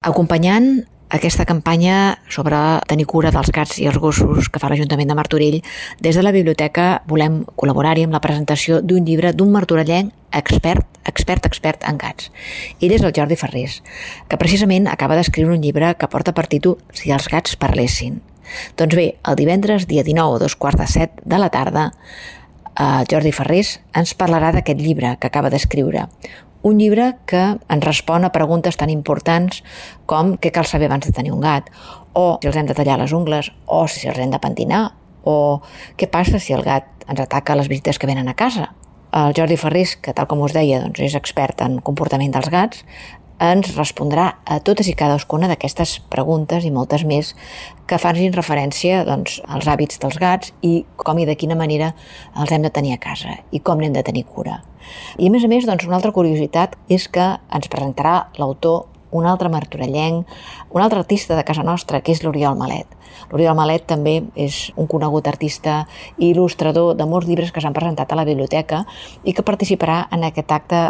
Acompanyant aquesta campanya sobre tenir cura dels gats i els gossos que fa l'Ajuntament de Martorell, des de la biblioteca volem col·laborar-hi amb la presentació d'un llibre d'un martorellenc expert en gats. Ell és el Jordi Ferrés, que precisament acaba d'escriure un llibre que porta per títol Si els gats parlessin. Doncs bé, el divendres, dia 19 a 6:45 de la tarda, el Jordi Ferrés ens parlarà d'aquest llibre que acaba d'escriure. Un llibre que ens respon a preguntes tan importants com què cal saber abans de tenir un gat, o si els hem de tallar les ungles, o si els hem de pentinar, o què passa si el gat ens ataca a les visites que venen a casa. El Jordi Ferrés, que tal com us deia és expert en comportament dels gats, ens respondrà a totes i cadascuna d'aquestes preguntes i moltes més que facin referència als hàbits dels gats i com i de quina manera els hem de tenir a casa i com n'hem de tenir cura. I a més, una altra curiositat és que ens presentarà l'autor, un altre martorellenc, un altre artista de casa nostra, que és l'Oriol Malet. L'Oriol Malet també és un conegut artista i il·lustrador de molts llibres que s'han presentat a la biblioteca i que participarà en aquest acte